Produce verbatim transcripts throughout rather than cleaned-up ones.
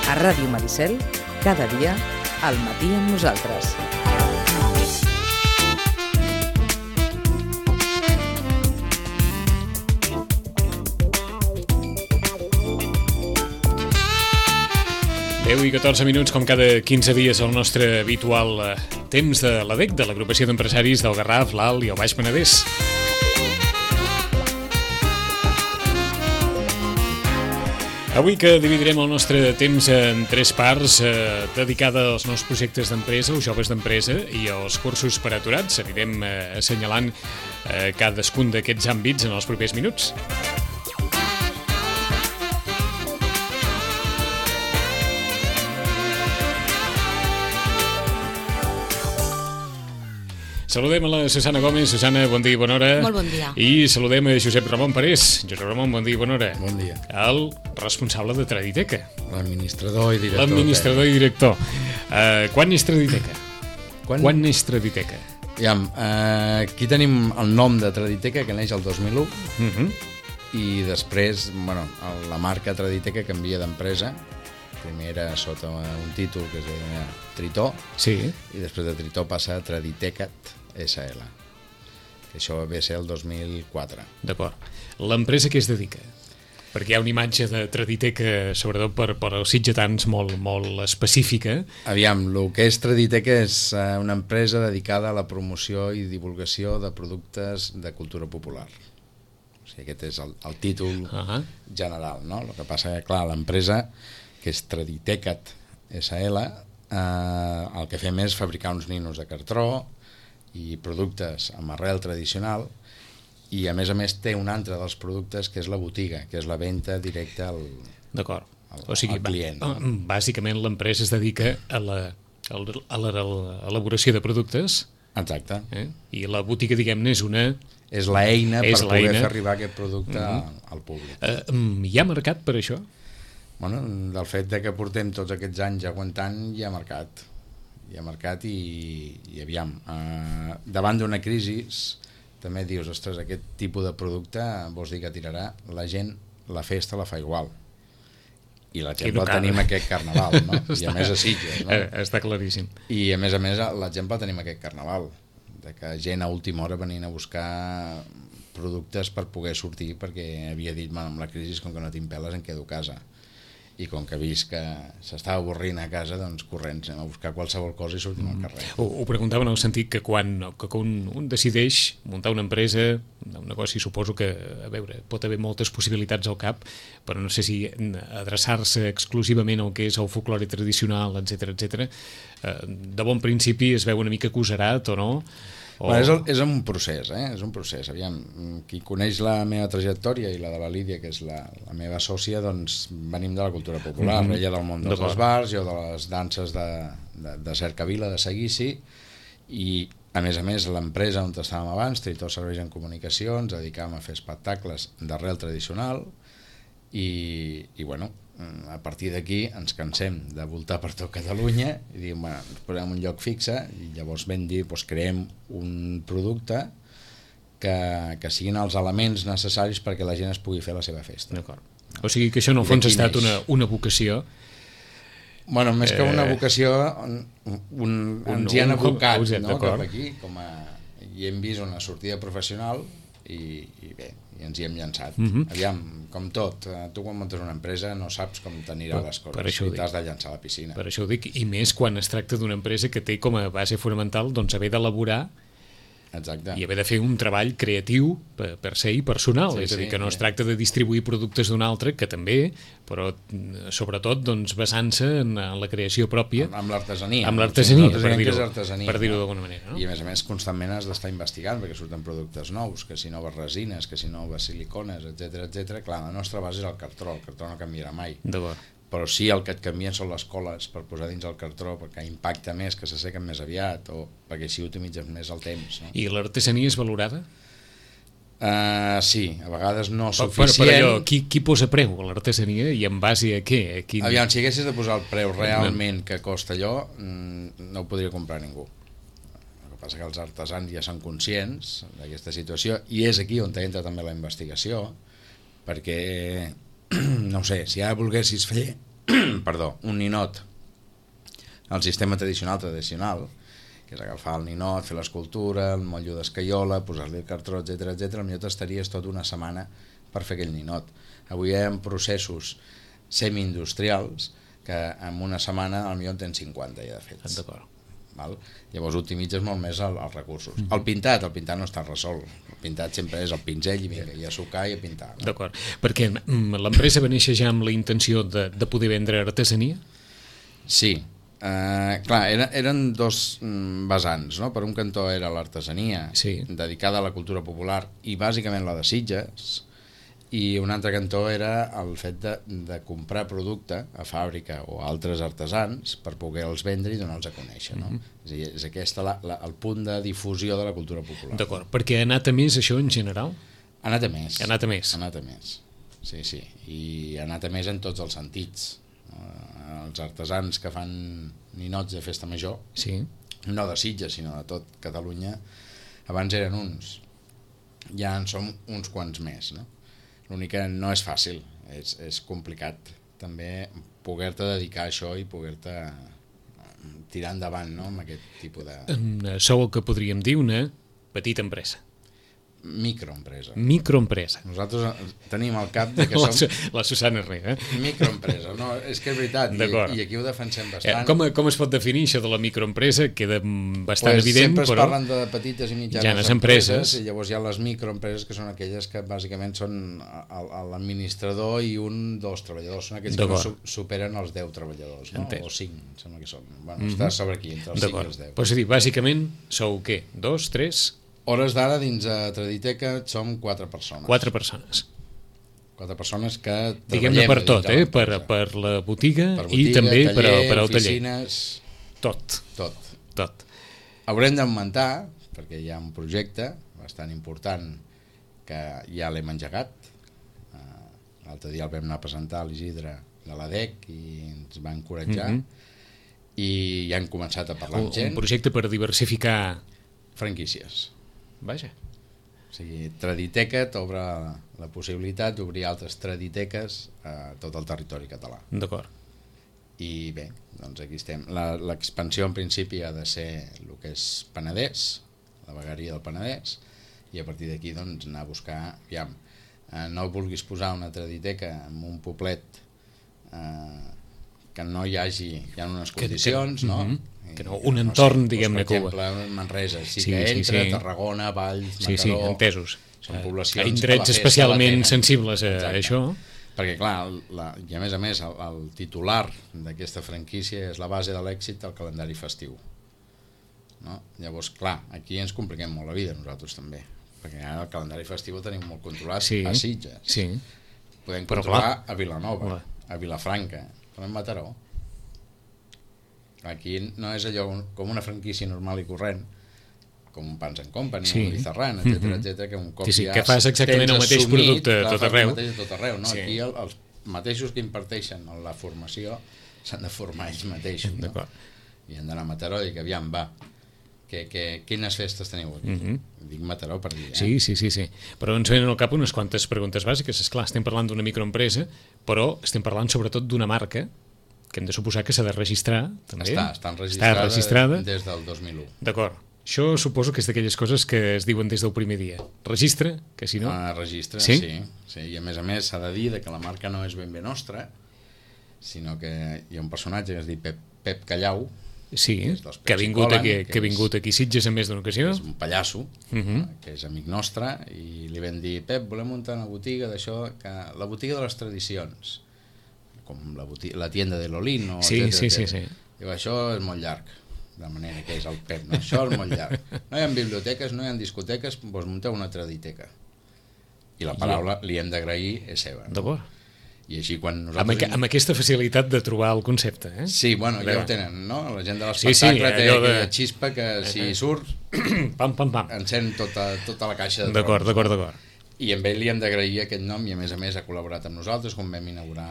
A Ràdio Maricel, cada dia, al matí amb nosaltres. deu i catorze minuts, com cada quinze dies, el nostre habitual eh, temps de l'A D E C, de l'Agrupació d'Empresaris del Garraf, l'Alt i el Baix Penedès. Avui que dividirem el nostre temps en tres parts, eh, dedicada als nous projectes d'empresa, als joves d'empresa i als cursos per aturats. Anirem eh, assenyalant eh, cadascun d'aquests àmbits en els propers minuts. Saludem a la Susana Gómez. Susana, bon dia i bona hora. Molt bon dia. I saludem a Josep Ramon Parés. Josep Ramon, bon dia i bona hora. Bon dia. El responsable de Traditeca. L'administrador i director. L'administrador i director. Uh, quan és Traditeca? Quan? Quan és Traditeca? Aviam, uh, aquí tenim el nom de Traditeca, que neix el dos mil u, Uh -huh. i després, bueno, la marca Traditeca canvia d'empresa. Primer era sota un títol que es deia Tritó, Sí. i després de Tritó passa a Traditecat S L, que això ve a ser el dos mil quatre. D'acord. L'empresa que es dedica? Perquè hi ha una imatge de Traditeca, sobretot per, per als sitgetans, molt, molt específica. Aviam, el que és Traditeca és uh, una empresa dedicada a la promoció i divulgació de productes de cultura popular. O sigui, aquest és el, el títol Uh -huh. general, no? El que passa que, clar, l'empresa, que és Traditecat S L, eh, el que fem és fabricar uns ninos de cartró i productes amb arrel tradicional, i a més a més té un altre dels productes que és la botiga, que és la venda directa al, D'acord. al, O sigui, al client. ba- No? bàsicament l'empresa es dedica a la, a l'elaboració de productes, Exacte. eh? I la botiga, diguem-ne, és una... És l'eina per És poder l'eina. fer arribar aquest producte Mhm. al, al públic. Eh, mm, hi ha mercat per això? Bueno, del fet de que portem tots aquests anys aguantant, hi ha mercat. Hi ha mercat i, i aviam, eh, davant d'una crisi també dius, ostres, aquest tipus de producte vols dir que tirarà, la gent la festa la fa igual, i l'exemple no el cal. tenim aquest carnaval, no? I a més a Sitges, no? Eh, està claríssim. I a més a més l'exemple el tenim aquest carnaval, de que gent a última hora venien a buscar productes per poder sortir, perquè havia dit, bueno, amb la crisi, com que no tinc peles, em quedo a casa. I com que he vist que s'estava avorrint a casa, doncs corrents, anem a buscar qualsevol cosa i sortim mm. al carrer. Ho, ho preguntava en el sentit que quan que un, un decideix muntar una empresa, un negoci, suposo que, a veure, pot haver moltes possibilitats al cap, però no sé si adreçar-se exclusivament al que és el folklore tradicional, etcètera, etcètera, eh, de bon principi es veu una mica agosarat o no? O... Bueno, és, el, és un procés, eh? És un procés. Aviam, qui coneix la meva trajectòria i la de la Lídia, que és la, la meva sòcia, doncs venim de la cultura popular, mm-hmm. ella del món dels esbars, jo de les danses de, de, de Cercavila, de Seguici, i a més a més l'empresa on estàvem abans, Tritó Serveis en Comunicació, ens dedicàvem a fer espectacles d'arrel tradicional, i, i bueno, a partir d'aquí ens cansem de voltar per tot Catalunya i diem, bueno, ens posem un lloc fixe i llavors vam dir, doncs creem un producte que, que siguin els elements necessaris perquè la gent es pugui fer la seva festa. D'acord. O sigui que això en el fons ha estat una, una vocació. Bueno, més que una vocació, un, un, ens hi han abocat, no, cap aquí, com a, i hem vist una sortida professional i, i bé, i ens hi hem llançat. Mm-hmm. Aviam, com tot, tu quan muntes una empresa no saps com t'anirà les coses i t'has de llançar a la piscina. Per això ho dic, i més quan es tracta d'una empresa que té com a base fonamental doncs haver d'elaborar Exacte. i haver de fer un treball creatiu per, per ser i personal, Sí, és a dir, sí, que no sí. es tracta de distribuir productes d'un altre, que també, però sobretot doncs, basant-se en, en la creació pròpia, amb, amb l'artesania, amb l'artesania, per que dir-ho és artesania, per dir-ho no? d'alguna manera, no? I a més a més constantment has d'estar investigant perquè surten productes nous, que si noves resines, que si noves silicones, etcètera, etcètera. Clar, la nostra base és el cartró, el cartró no canviarà mai. D'acord. Però sí, el que et canvien són les coles per posar dins el cartró, perquè impacta més, que s'assequen més aviat, o perquè així utilitzes més el temps, no? I l'artesania és valorada? Uh, sí, a vegades no però, suficient. però allò, qui, qui posa preu a l'artesania i en base a què? A quin... Aviam, si haguessis de posar el preu realment que costa allò, no ho podria comprar ningú. El que passa que els artesans ja són conscients d'aquesta situació i és aquí on entra també la investigació, perquè, no sé, si ara volguessis fer perdó, un ninot al sistema tradicional tradicional, que és agafar el ninot, fer l'escultura, el motllo d'escaiola, posar-li el cartró, etcètera, etcètera, potser t'estaries tota una setmana per fer aquell ninot. Avui hi ha processos semi-industrials que en una setmana potser en tens cinquanta ja de fets. D'acord. Val? Llavors optimitzes molt més el, els recursos. Mm-hmm. El pintat, el pintat no està resolt. El pintat sempre és el pinzell i vinga, i a sucar i a pintar. No? D'acord. Perquè l'empresa va néixer ja amb la intenció de, de poder vendre artesania? Sí. Uh, clar, era, eren dos mm, vessants, no? Per un cantó era l'artesania, sí, dedicada a la cultura popular i bàsicament la de Sitges, i un altre cantó era el fet de, de comprar producte a fàbrica o a altres artesans per poder-los vendre i donar-los a conèixer, no? Mm-hmm. És a dir, és aquest la, la, el punt de difusió de la cultura popular. D'acord, perquè ha anat a més això en general? Ha anat a més. Ha anat a més. Ha anat a més, sí, sí, i ha anat a més en tots els sentits. Els artesans que fan ninots de festa major, sí, no de Sitges sinó de tot Catalunya, abans eren uns, ja en som uns quants més, no? L'únic que no és fàcil, és, és complicat també poder-te dedicar a això i poder-te tirar endavant, no? Amb aquest tipus de... Sou el que podríem dir una petita empresa. Microempresa. Microempresa. Nosaltres tenim al cap de que som... La, la Susana Herrera. Eh? Microempresa. No, és que és veritat, i, i aquí ho defensem bastant. Eh, com, com es pot definir això de la microempresa? Queda bastant pues evident, sempre es però... parlen de petites i mitjanes ja empreses, empreses, i llavors hi ha les microempreses que són aquelles que bàsicament són l'administrador i un dels treballadors. Són aquells que no superen els deu treballadors, no? O cinc, sembla que són. Bueno, mm-hmm. Està sobre aquí, entre els cinc i els deu. Pues dir, bàsicament, sou què? Dos, tres... Hores d'ara, dins a Traditeca, som quatre persones. Quatre persones. Quatre persones que treballem... Diguem-ne per tot, eh? Per, per la botiga, per botiga i també taller, per, per al taller. Oficines... Tot. Tot. Tot. Haurem d'augmentar, perquè hi ha un projecte bastant important que ja l'hem engegat. L'altre dia el vam anar a presentar a l'Isidre de l'A D E C i ens va encoratjar. Mm-hmm. I ja hem començat a parlar un, amb gent. Un projecte per diversificar... Franquícies. Vaja. O sigui, Traditeca t'obre la possibilitat d'obrir altres traditeques a tot el territori català. D'acord. I bé, doncs aquí estem. L'expansió en principi ha de ser el que és Penedès, la vegueria del Penedès, i a partir d'aquí doncs anar a buscar, aviam, eh, no vulguis posar una traditeca en un poblet eh, que no hi hagi, hi ha unes condicions, que, que, no? Mm-hmm. Que no, un entorn, no sé, diguem-ne, doncs, per exemple, Manresa, sí, sí que entra, sí, sí. Tarragona, Valls, Mataró... Sí, sí, entesos. Són poblacions... A indrets especialment sensibles a Exacte. Això. Perquè, clar, la, i a més a més, el, el titular d'aquesta franquícia és la base de l'èxit del calendari festiu. No? Llavors, clar, aquí ens compliquem molt la vida, nosaltres també. Perquè ara el calendari festiu el tenim molt controlat, sí, a Sitges. Sí. Podem controlar a Vilanova, clar, a Vilafranca, però a Mataró. Aquí no és allò com una franquícia normal i corrent, com un Pans and Company, sí, un Lizarran, etcètera, mm-hmm. etcètera, que un cop sí, sí, ja que fas exactament el mateix assumit, producte clar, tot arreu. El tot arreu, no? Sí. Aquí el, els mateixos que imparteixen la formació s'han de formar ells mateixos, no? I han d'anar a Mataró i que aviam, va, que, que, quines festes teniu aquí? Mm-hmm. Dic Mataró per dir, eh? Sí, sí, sí, sí. Però ens venen al cap unes quantes preguntes bàsiques. Esclar, estem parlant d'una microempresa, però estem parlant sobretot d'una marca que hem de suposar que s'ha de registrar també. Està, està enregistrada, està registrada des del dos mil u. D'acord. Això suposo que és d'aquelles coses que es diuen des del primer dia. Registre, que si no... Ah, registre, sí? Sí, sí. I a més a més s'ha de dir que la marca no és ben bé nostra, sinó que hi ha un personatge que es diu Pep, Pep Callau, sí, que, que ha vingut Colen, aquí, que, que ha vingut aquí Sitges en més d'una ocasió. És un pallasso, uh-huh. que és amic nostre, i li vam dir, Pep, volem muntar una botiga d'això, que la botiga de les tradicions, com la, botiga, la tienda de l'Olino, sí, etcètera, sí, sí, sí. Diu, això és molt llarg, de manera que és el Pep, no? Això és molt llarg. No hi ha biblioteques, no hi ha discoteques, doncs munteu una traditeca. I la paraula, li hem d'agrair, és seva. No? D'acord. I així quan nosaltres... Amb, aqu amb aquesta facilitat de trobar el concepte, eh? Sí, bueno, ja ho tenen, no? La gent de l'espectacle sí, sí, té aquella de... xispa que si surt, pam, pam, pam. encén tota, tota la caixa de D'acord, d'acord, d'acord. I amb ell li hem d'agrair aquest nom i a més a més ha col·laborat amb nosaltres. Quan vam inaugurar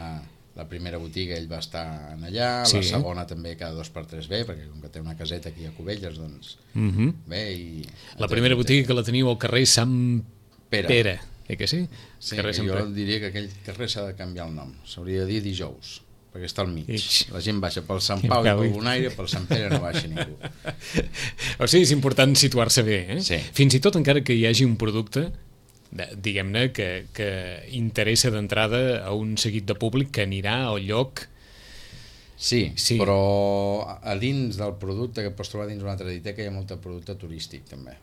la primera botiga ell va estar en allà, sí. La segona també cada dos per tres ve, perquè com que té una caseta aquí a Cubelles, doncs mm -hmm. bé. I la primera botiga que la teniu al carrer Sant Pere, Pere eh que sí? Sí, que jo diria que aquell carrer s'ha de canviar el nom, s'hauria de dir Dijous, perquè està al mig. Ix. La gent baixa pel Sant Pau i pel Bonaire, pel Sant Pere no baixa ningú. O sigui, és important situar-se bé, eh? Sí. Fins i tot encara que hi hagi un producte diguem-ne que, que interessa d'entrada a un seguit de públic que anirà al lloc. Sí, sí, però a dins del producte que pots trobar dins una traditeca hi ha molt producte turístic també,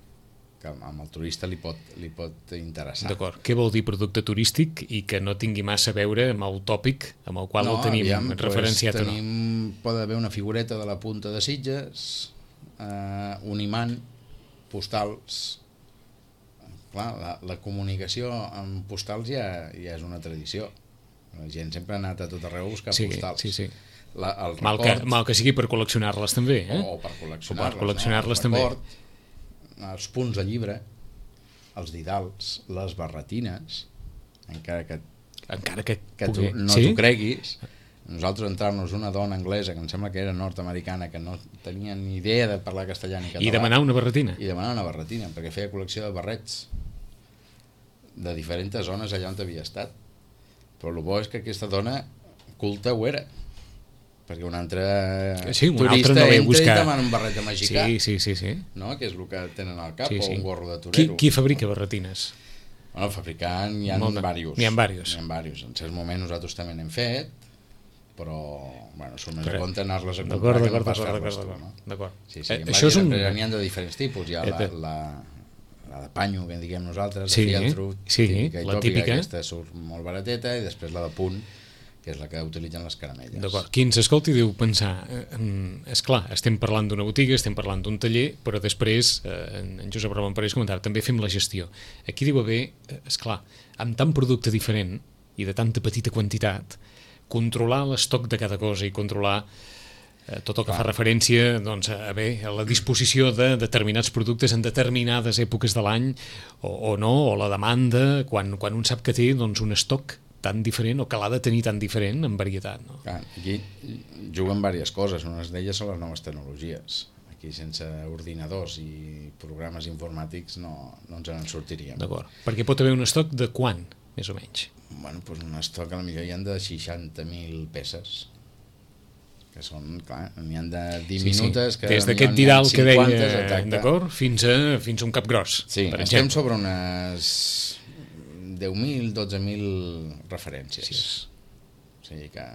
que amb el turista li pot, li pot interessar. D'acord, què vol dir producte turístic i que no tingui massa a veure amb el tòpic amb el qual no, el tenim aviam, referenciat pues, o no? Tenim, pot haver una figureta de la punta de Sitges, eh, un imant, postals. Clar, la, la comunicació amb postals ja, ja és una tradició. La gent sempre ha anat a tot arreu a buscar sí, postals. Sí, sí. La, el mal, record, que, mal que sigui per col·leccionar-les també, eh? O, o per col·leccionar-les, o per col·leccionar-les no? també. Record, els punts de llibre, els didals, les barretines, encara que, encara que, que tu, no sí? t'ho creguis. Nosaltres entrar-nos una dona anglesa que em sembla que era nord-americana, que no tenia ni idea de parlar castellà ni català, i demanar una barretina i demanar una barretina perquè feia col·lecció de barrets de diferents zones allà on havia estat. Però el bo és que aquesta dona culta ho era, perquè un altre sí, un turista altre no entra buscar... i demana un barret de mexicà, sí, sí, sí, sí. no? Que és el que tenen al cap, sí, sí. o un gorro de torero. Qui, qui fabrica barretines? Bueno, fabricant n'hi ha Molt, diversos. N'hi ha diversos. N'hi ha diversos. En certs moments nosaltres també n'hem fet, però bueno, són més Però... a compte anar-les a comprar que no pas fer-les tu, no? D'acord. Sí, sí. Eh, això és un... N'hi ha de diferents tipus. Hi ha la, la, la de panyo, que diguem nosaltres, sí, de fieltro, sí, típica i la tòpica, típica. Aquesta surt molt barateta, i després la de punt, que és la que utilitzen les caramelles. D'acord. Qui ens escolti deu pensar, eh, és clar, estem parlant d'una botiga, estem parlant d'un taller, però després, eh, en Josep Ramon Parés comentava, també fem la gestió. Aquí deu haver, eh, és clar, amb tant producte diferent i de tanta petita quantitat, controlar l'estoc de cada cosa i controlar eh, tot el que clar. Fa referència doncs, a, bé, a la disposició de determinats productes en determinades èpoques de l'any o, o no, o la demanda, quan, quan un sap que té doncs, un estoc tan diferent o que l'ha de tenir tan diferent en varietat. No? Clar, aquí juguen diverses coses, unes d'elles són les noves tecnologies. Aquí sense ordinadors i programes informàtics no, no ens en sortiríem. D'acord, perquè pot haver un estoc de quan, més o menys? Bueno, doncs un estoc a la millor hi ha de seixanta mil peces, que són, clar, n'hi ha de diminutes, sí, sí. Que des d'aquest didal que deia, d'acord, fins a, fins a un cap gros. Sí, per estem exemple. sobre unes deu mil, dotze mil referències. Sí. O sigui que,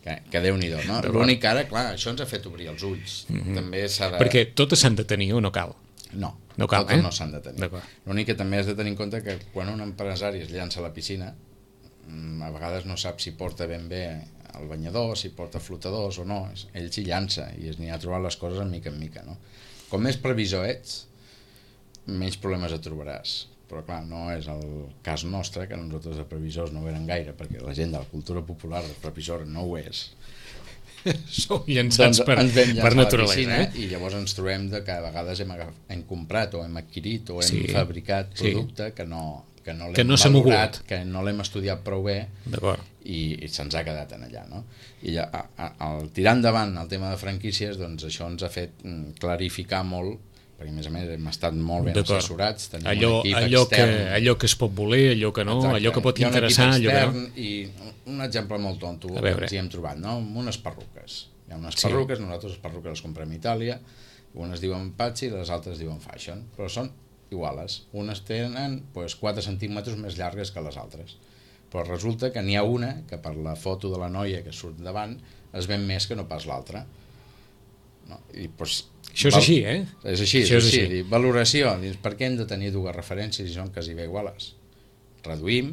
que, que Déu-n'hi-do, no? L'únic que ara, clar, això ens ha fet obrir els ulls. Mm-hmm. També s'ha de... Perquè totes s'han de tenir o no cal? No, no cal, totes eh? no s'han de tenir. L'únic que també has de tenir en compte que quan un empresari es llança a la piscina, a vegades no sap si porta ben bé el banyador, si porta flotadors o no. Ell s'hi llança i es n'hi ha trobat les coses en mica en mica, no? Com més previsor ets, menys problemes et trobaràs. Però clar, no és el cas nostre, que nosaltres de previsors no ho eren gaire, perquè la gent de la cultura popular de previsor no ho és. Sou llançats doncs per, per naturalesa, piscina, eh? I llavors ens trobem de que a vegades hem, agaf, hem comprat o hem adquirit o hem sí, fabricat producte sí. que no, que no l'hem no valorat, que no l'hem estudiat prou bé i, i se'ns ha quedat en allà, no? I a, a, al tirar endavant el tema de franquícies, doncs això ens ha fet clarificar molt, perquè a més a més hem estat molt ben assessorats, tenim allò, un equip allò extern, que, allò que es pot voler, allò que no, exacte. Allò que pot interessar, allò que no. I un exemple molt tonto que ens hi hem trobat, no? Unes perruques. Hi ha unes perruques, sí. Nosaltres les perruques les comprem a Itàlia, unes diuen Pazzi i les altres diuen Fashion, però són iguales. Unes tenen pues, quatre centímetres més llargues que les altres, però resulta que n'hi ha una que per la foto de la noia que surt davant es ven més que no pas l'altra. No? I, pues, això és val... així, eh? És així, és, és així. així. Valoració, dius, per què hem de tenir dues referències i són quasi bé iguales? Reduïm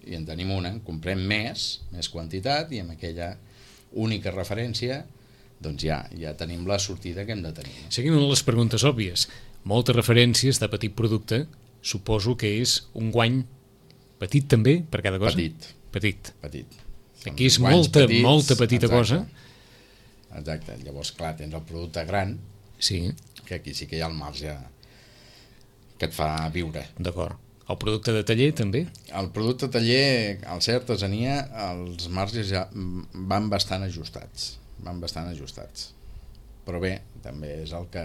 i en tenim una, en comprem més, més quantitat, i amb aquella única referència doncs ja, ja tenim la sortida que hem de tenir. Seguim amb les preguntes òbvies. Moltes referències de petit producte, suposo que és un guany petit també per cada cosa? Petit. Petit. Petit. Aquí és molta, petits, molta petita exacte, cosa. Exacte. Llavors, clar, tens el producte gran, sí. Que aquí sí que hi ha el marge que et fa viure. D'acord. El producte de taller, també? El producte de taller, al ser artesania, els marges ja van bastant ajustats. Van bastant ajustats. Però bé, també és el que,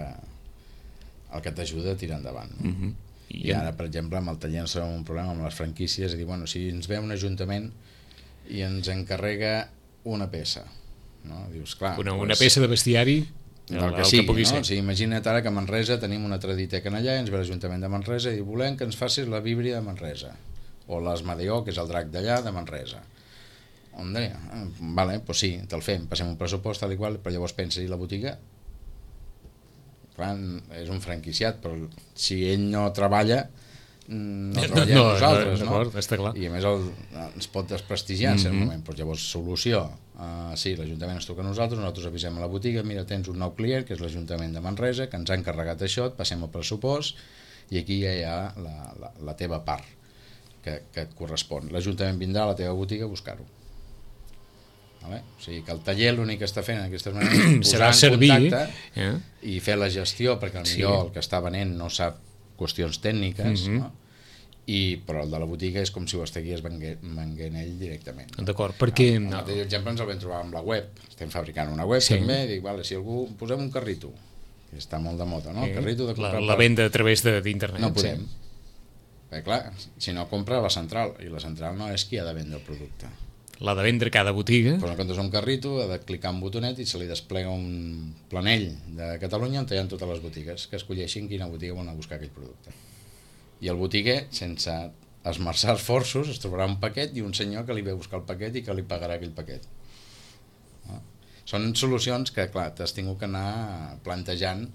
el que t'ajuda a tirar endavant. No? Uh-huh. I, I ara, per exemple, amb el taller ens trobem un problema amb les franquícies, és a dir, bueno, si ens ve un ajuntament i ens encarrega una peça, no? Dius, clar... Una, doncs, una peça de bestiari... El, el que sigui, que no? O sigui, imagina't ara que a Manresa tenim una traditeca allà i ens ve l'Ajuntament de Manresa i diu, volem que ens facis la víbria de Manresa o l'Asmadeó, que és el drac d'allà, de Manresa. Hombre, vale, pues sí, te'l fem, passem un pressupost tal i qual, però llavors pensa, i la botiga? Clar, és un franquiciat, però si ell no treballa, no treballem no, nosaltres, no? Està clar. I a més el, ens pot desprestigiar en cert mm-hmm. moment. Pues llavors, solució, uh, sí, l'Ajuntament ens toca a nosaltres, nosaltres avisem a la botiga, mira, tens un nou client, que és l'Ajuntament de Manresa, que ens ha encarregat això, et passem el pressupost, i aquí ja hi ha la, la, la teva part que, que et correspon. L'Ajuntament vindrà a la teva botiga a buscar-ho. Vale? O sigui que el taller l'únic que està fent en aquestes maneres és posar en servir, contacte eh? i fer la gestió, perquè potser sí. el que està venent no sap qüestions tècniques, mm-hmm. no? I, però el de la botiga és com si ho estigués venguent ell directament. No? D'acord, perquè... El, el mateix exemple ens el vam trobar amb la web. Estem fabricant una web sí. també, dic, vale, si algú posem un carrito, que està molt de moda, no? Sí. El carrito de comprar... La, la venda a través d'internet. No podem. Sí. Perquè clar, si no compra la central, i la central no és qui ha de vendre el producte. L'ha de vendre cada botiga. Però en comptes d'un carrito ha de clicar un botonet i se li desplega un planell de Catalunya on hi ha totes les botigues que escolleixin quina botiga volen buscar aquell producte. I el botiguer, sense esmerçar esforços, es trobarà un paquet i un senyor que li ve a buscar el paquet i que li pagarà aquell paquet. No? Són solucions que, clar, t'has tingut que anar plantejant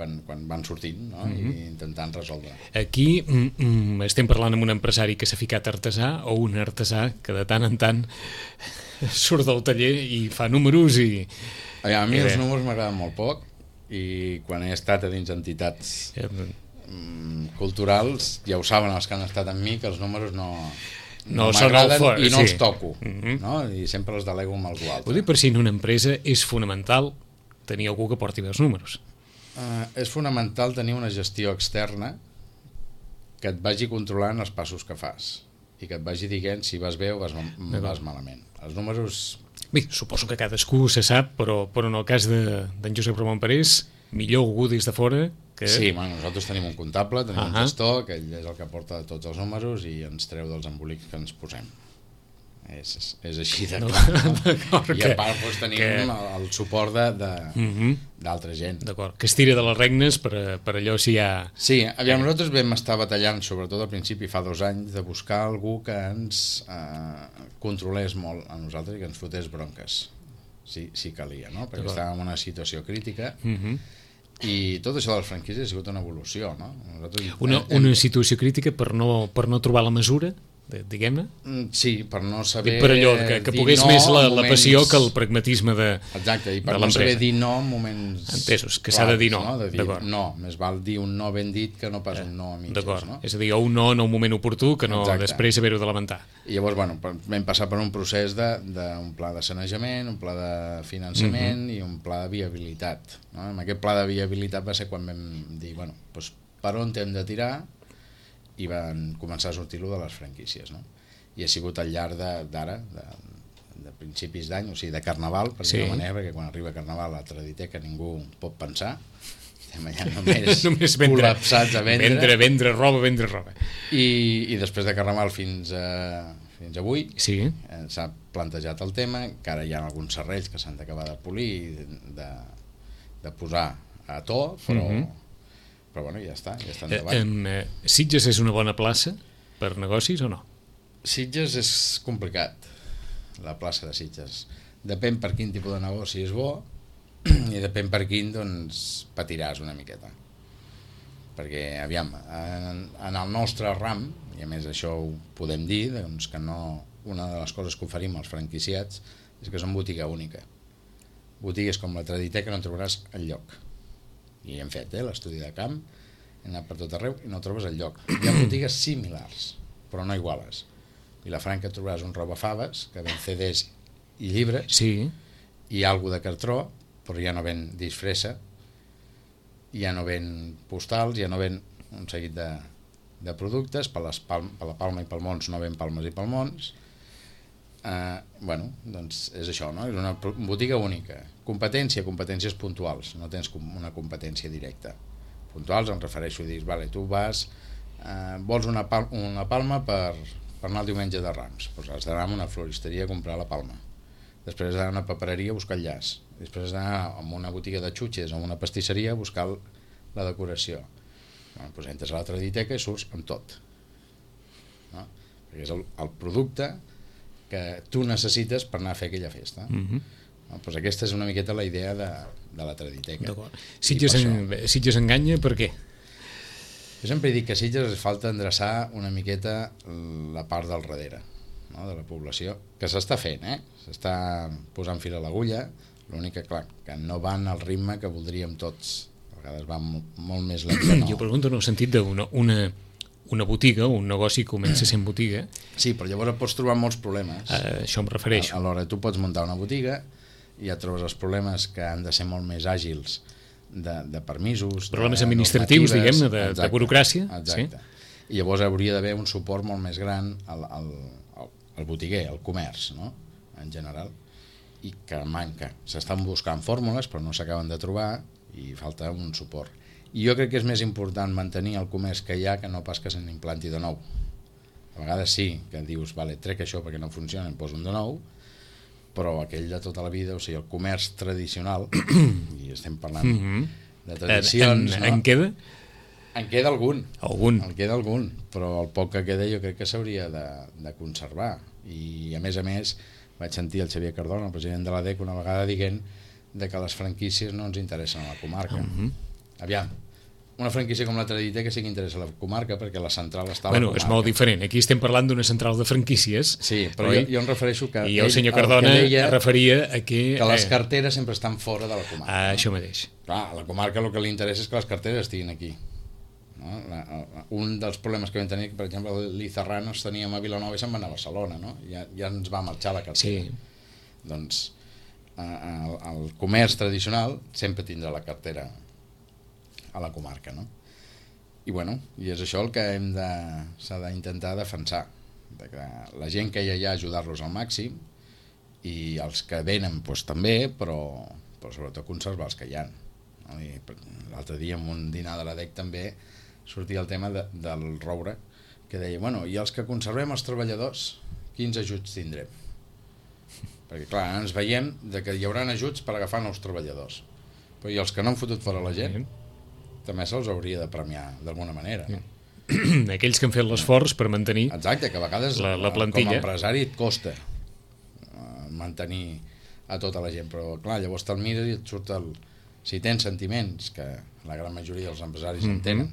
quan, quan van sortint, no? Mm-hmm. I intentant resoldre. Aquí mm, mm, estem parlant amb un empresari que s'ha ficat artesà o un artesà que de tant en tant surt del taller i fa números i... A mi els números m'agraden molt poc i quan he estat a dins entitats eh, culturals ja ho saben els que han estat amb mi que els números no, no, no m'agraden i no sí. els toco, mm-hmm. no? I sempre els delego amb algú altre. Vull dir, per si en una empresa és fonamental tenir algú que porti bé els números. Uh, és fonamental tenir una gestió externa que et vagi controlant els passos que fas i que et vagi dient si vas bé o vas, vas malament. Els números... Bé, suposo que cadascú se sap, però, però en el cas d'en de, Josep Ramon Parés, millor algú des de fora que... Sí, bueno, nosaltres tenim un comptable, tenim uh-huh. un gestor, que ell és el que porta tots els números i ens treu dels embolics que ens posem. És, és així de clar. No? I a part doncs, tenim que... el, el suport d'altra uh-huh. gent. D'acord, que es tira de les regnes per, per allò si hi ha... Sí, aviam, nosaltres vam estar batallant, sobretot al principi, fa dos anys, de buscar algú que ens eh, controlés molt a nosaltres i que ens fotés bronques, si, si calia, no? Perquè estàvem en una situació crítica uh-huh. i tot això de les franquícies ha sigut una evolució, no? Nosaltres, una, hem... una situació crítica per no, per no trobar la mesura, diguem-ne? Sí, per no saber per allò, que, que pogués no més la, moments... la passió que el pragmatisme de l'empresa. Exacte, i per no saber dir no en moments... Entesos, que s'ha de dir no. no? De dir, no, més val dir un no ben dit que no pas un no a mitges. D'acord, no? és a dir, o un no en un moment oportú que no Exacte. Després haver-ho de lamentar. I llavors, bueno, vam passar per un procés d'un pla de sanejament, un pla de finançament uh-huh. i un pla de viabilitat. No? Amb aquest pla de viabilitat va ser quan vam dir, bueno, doncs per on hem de tirar i van començar a sortir-lo de les franquícies, no? I ha sigut al llarg d'ara, de, de, de principis d'any, o sigui, de Carnaval, per sí. dir-ho manera, perquè quan arriba Carnaval a la Traditeca ningú pot pensar, estem allà només, només vendre, col·lapsats a vendre. Vendre, vendre roba, vendre roba. I, i després de Carnaval fins a, fins avui sí. eh, s'ha plantejat el tema, que ara hi ha alguns serrells que s'han d'acabar de polir i de, de posar a to, però, uh-huh. però bueno, ja està, ja està endavant. Eh, eh, Sitges és una bona plaça per negocis o no? Sitges és complicat, la plaça de Sitges. Depèn per quin tipus de negoci és bo i depèn per quin, doncs, patiràs una miqueta. Perquè, aviam, en, en el nostre ram, i a més això ho podem dir, doncs que no, una de les coses que oferim als franquiciats és que són botiga única. Botigues com la Traditeca no en trobaràs enlloc. I hem fet eh, l'estudi de camp, hem anat per tot arreu i no trobes enlloc. Hi ha botigues similars, però no iguales. I la Franca trobaràs un robafaves que ven C Ds i llibres sí. i algo de cartró, però ja no ven disfressa, ja no ven postals, ja no ven un seguit de, de productes, per, les palm, per la Palma i Palmons no ven palmes i palmons. Eh, bueno, doncs és això, no? És una botiga única. Competència, competències puntuals, no tens una competència directa. Puntuals em refereixo a dir, vale, tu vas, eh, vols una, pal una palma per, per anar el diumenge de Rams, doncs has d'anar a una floristeria a comprar la palma, després has d'anar a una papereria a buscar el llaç, després has d'anar a una botiga de xutxes o a una pastisseria a buscar la decoració. Bueno, doncs entres a la Traditeca i surts amb tot, no? Perquè és el, el producte que tu necessites per anar a fer aquella festa. Mm-hmm. No? Doncs aquesta és una miqueta la idea de, de la Traditeca. Sitges, en, Sitges enganya per què? Jo sempre dic que a Sitges es falta endreçar una miqueta la part del darrere, no? De la població, que s'està fent, eh? S'està posant fil a l'agulla, l'únic que, clar, que no van al ritme que voldríem tots. A vegades van molt més lents. No. Jo pregunto en el sentit d'una una, una botiga, un negoci comença sent botiga. Sí, però llavors pots trobar molts problemes. Uh, això em refereixo. Alhora, tu pots muntar una botiga i ja trobes els problemes que han de ser molt més àgils de, de permisos, problemes de administratius, diguem-ne, de, de burocràcia. Exacte. Sí? I llavors hauria d'haver un suport molt més gran al, al, al botiguer, al comerç, no? En general, i que manca. S'estan buscant fórmules però no s'acaben de trobar i falta un suport. I jo crec que és més important mantenir el comerç que hi ha que no pas que se n'implanti de nou. A vegades sí, que dius, vale, trec això perquè no funciona, em poso un de nou, però aquell de tota la vida, o sigui, el comerç tradicional, i estem parlant mm-hmm. de tradicions... En, en, no? en queda? En queda algun. Algun. En queda algun, però el poc que queda jo crec que s'hauria de, de conservar. I a més a més vaig sentir el Xavier Cardona, el president de l'A D E C, una vegada dient de que les franquícies no ens interessen a la comarca. Uh-huh. Aviam, una franquícia com la Traditeca sí que interessa a la comarca perquè la central està a la bueno, comarca. És molt diferent. Aquí estem parlant d'una central de franquícies. Sí, però jo, jo em refereixo que... I el senyor Cardona el es referia a que... Que les carteres sempre estan fora de la comarca. Ah, no? Això mateix. Clar, a la comarca el que li interessa és que les carteres estiguin aquí. No? La, la, un dels problemes que vam tenir, per exemple, l'Izarranos teníem a Vilanova i se'n va anar a Barcelona, no? Ja, ja ens va marxar la cartera. Sí. Doncs el, el comerç tradicional sempre tindrà la cartera a la comarca, no? I bueno, i és això el que hem de s'ha d'intentar defensar, de que la gent que hi ha allà ajudar-los al màxim i els que venen doncs, també, però, però sobretot conservar els que hi ha, no? L'altre dia en un dinar de l'A D E C també sortia el tema de, del roure, que deia, bueno, i els que conservem els treballadors, quins ajuts tindrem? Perquè clar, ens veiem de que hi haurà ajuts per agafar nous treballadors, però i els que no han fotut fora la gent també se'ls hauria de premiar d'alguna manera, no? Aquells que han fet l'esforç per mantenir exacte, que a vegades la, la plantilla. Com a empresari et costa uh, mantenir a tota la gent, però clar, llavors te'l mires i et surt el... Si tens sentiments, que la gran majoria dels empresaris mm-hmm. en tenen,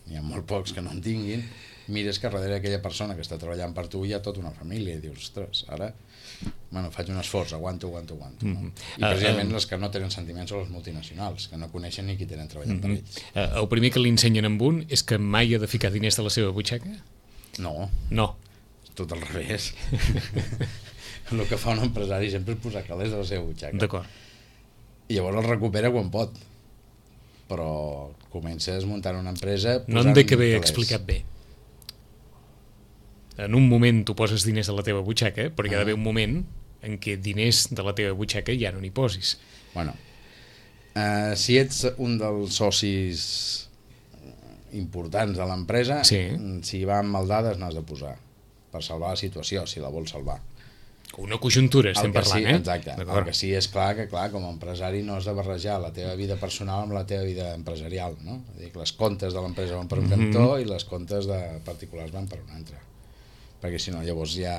n'hi ha molt pocs que no en tinguin, mires que darrere aquella persona que està treballant per tu hi ha tota una família i dius, ostres, ara bueno, faig un esforç, aguanto, aguanto, aguanto, no? Mm-hmm. I precisament uh, uh, les que no tenen sentiments són les multinacionals, que no coneixen ni qui tenen treballant mm-hmm. per ells. Uh, el primer que li ensenyen amb un és que mai ha de ficar diners de la seva butxaca? No. No. Tot al revés. El que fa un empresari sempre és posar calés a la seva butxaca. D'acord. I llavors el recupera quan pot. Però comences muntant una empresa... No em dec haver explicat bé. En un moment tu poses diners de la teva butxaca, però hi ha d'haver un moment en què diners de la teva butxaca ja no n'hi posis. Bueno, uh, si ets un dels socis importants de l'empresa, sí. Si va amb maldades n'has de posar per salvar la situació, si la vols salvar. Una conjuntura estem parlant, sí, eh? Exacte, el que sí és clar que clar, com a empresari no has de barrejar la teva vida personal amb la teva vida empresarial, no? És a dir, les comptes de l'empresa van per un mm-hmm. cantó i les comptes de particulars van per un altre, perquè si no llavors ja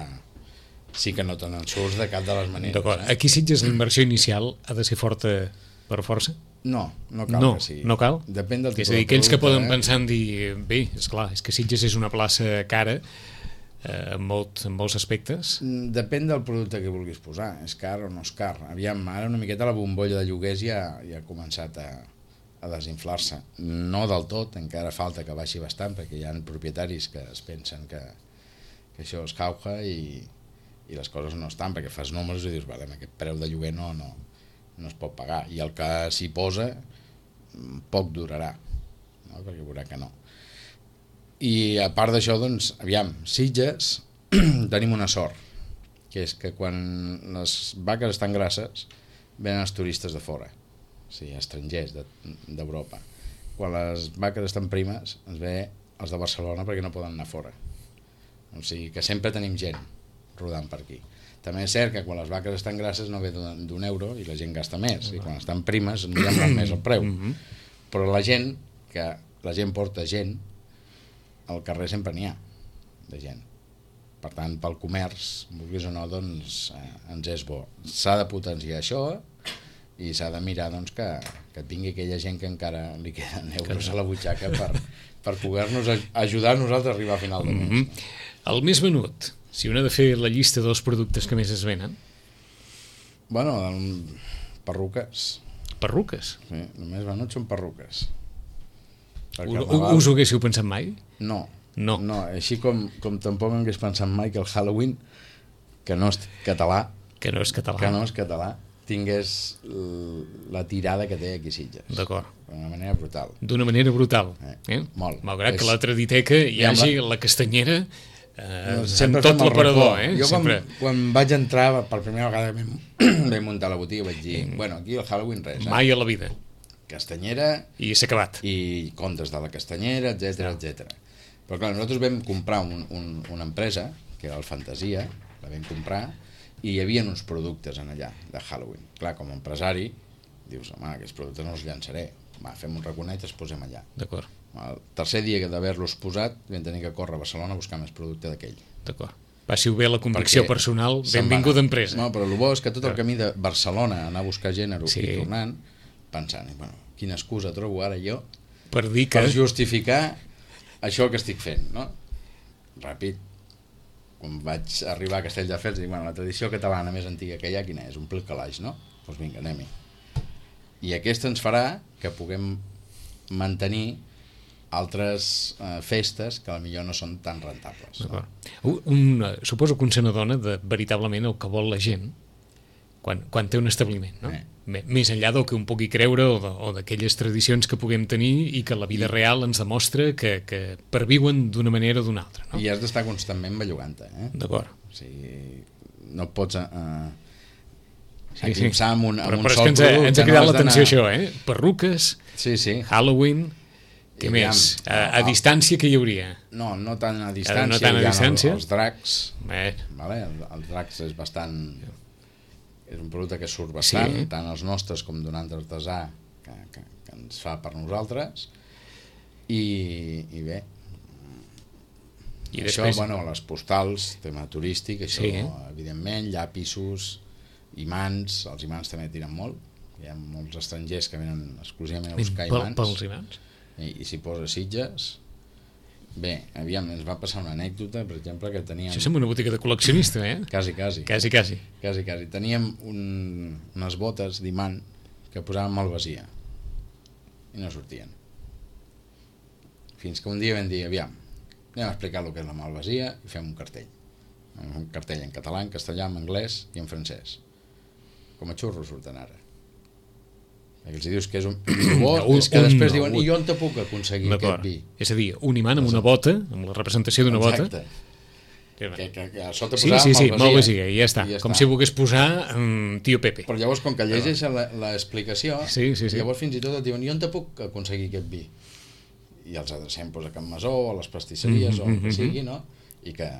sí que no te n'en surts de cap de les maneres. D'acord, eh? aquí Sitges la inversió inicial ha de ser forta per força? No, no cal no, que sigui. No cal? Depèn del tipus és a dir, de aquells producte, que poden eh? pensar en dir, bé, esclar, és que Sitges és una plaça cara eh, en, molt, en molts aspectes. Depèn del producte que vulguis posar, és car o no és car. Aviam, ara una miqueta la bombolla de lloguers ja, ja ha començat a, a desinflar-se. No del tot, encara falta que baixi bastant, perquè hi ha propietaris que es pensen que, que això es cauja i, i les coses no estan, perquè fas números i dius, vale, aquest preu de lloguer no, no, no es pot pagar, i el que s'hi posa poc durarà, no? Perquè veurà que no. I a part d'això, doncs, aviam, Sitges tenim una sort, que és que quan les vaques estan grasses venen els turistes de fora, o sigui, estrangers d'Europa. Quan les vaques estan primes ens ve els de Barcelona perquè no poden anar fora. O sigui que sempre tenim gent rodant per aquí. També és cert que quan les vaques estan grasses no ve d'un euro i la gent gasta més, i quan estan primes no hi ha molt més el preu. Però la gent, que la gent porta gent, al carrer sempre n'hi ha de gent. Per tant, pel comerç, vulguis o no, doncs eh, ens és bo. S'ha de potenciar això i s'ha de mirar doncs, que, que tingui aquella gent que encara li queden euros a la butxaca per, per poder-nos ajudar a nosaltres a arribar a final de mes. Mm-hmm. El més venut, si un ha de fer la llista dels productes que més es venen? Bueno, perruques. Perruques? Sí, només venuts són perruques. Carnaval... Us ho haguéssiu pensat mai? No. No. No, així com, com tampoc m'hagués pensat mai que el Halloween, que no és català, que no és català, que no és català tingués la tirada que té aquí Sitges. D'acord. D'una manera brutal. D'una manera brutal. Eh? Eh? Molt. Malgrat és... que a la Traditeca hi hagi la, la castanyera eh, no, amb tot l'aparador. Eh? Jo sempre... quan, quan vaig entrar, per primera vegada vam muntar la botiga, vaig dir, mm. bueno, aquí el Halloween res. Eh? Mai a la vida. Castanyera... I s'ha acabat. I contes de la castanyera, etcètera, etcètera. Però clar, nosaltres vam comprar un, un, una empresa, que era el Fantasia, la vam comprar, i hi havia uns productes en allà, de Halloween. Clar, com a empresari, dius, home, aquests productes no els llançaré. Va, fem un raconet i els posem allà. D'acord. El tercer dia d'haver-los posat, vam tenir que córrer a Barcelona a buscar més producte d'aquell. D'acord. Passi-ho bé la convicció Perquè personal, benvinguda empresa. No, però el bo és que tot el camí de Barcelona, anar a buscar gènere sí. i tornant, pensant, bueno, quina excusa trobo ara jo per dir que... per justificar això que estic fent, no? Ràpid, quan vaig arribar a Castelldefels, dic, bueno, la tradició catalana més antiga que hi ha, quina és? Omplir el calaix, no? Doncs vinga, anem-hi. I aquesta ens farà que puguem mantenir altres eh, festes que potser no són tan rentables. No? Un, un, suposo que un se n'adona de veritablement el que vol la gent quan, quan té un establiment, no? Eh. Més enllà del que un pugui creure o d'aquelles tradicions que puguem tenir i que la vida I... real ens demostra que, que perviuen d'una manera o d'una altra. No? I has d'estar constantment bellugant-te. Eh? D'acord. O sigui, no pots uh, sí, sí. amb un, amb però, un però sol és que ens ha, producte. Ens ha cridat no l'atenció això, eh? Perruques, sí, sí. Halloween... Què I més? A, a no, distància què hi hauria? No, no tant a distància. No tant a distància? Els, els dracs. Eh. Vale? El, el dracs és bastant... És un producte que surt bastant, sí. tant els nostres com d'un altre artesà que, que, que ens fa per nosaltres. I, i bé, I això, després... bueno, les postals, tema turístic, això, sí. evidentment, llapisos, imants, els imants també tiren molt. Hi ha molts estrangers que venen exclusivament a buscar imants. Pels imants. I, i s'hi posa Sitges. Bé, aviam, ens va passar una anècdota, per exemple, que teníem... Això sembla una botiga de col·leccionista, eh? Quasi, quasi. Quasi, quasi. Quasi, quasi. Teníem un, unes botes d'imant que posàvem malvasia i no sortien. Fins que un dia vam dir, aviam, anem a explicar el que és la malvasia i fem un cartell. Un cartell en català, en castellà, en anglès i en francès. Com a xurros surten ara. Que els dius que és un bo, un, és que un, després diuen, un, i on te puc aconseguir aquest vi? És a dir, un imant amb una bota, amb la representació d'una bota. Exacte. Que, que, que a sota sí, sí, sí, malvasia, i ja està. I ja com està. Si volgués posar um, Tio Pepe. Però llavors, com que llegeix l'explicació, sí, sí, sí. llavors fins i tot et diuen, i on te puc aconseguir aquest vi? I els adrecem pues, a Can Masó, a les pastisseries, mm -hmm, o el que sigui, no? I que,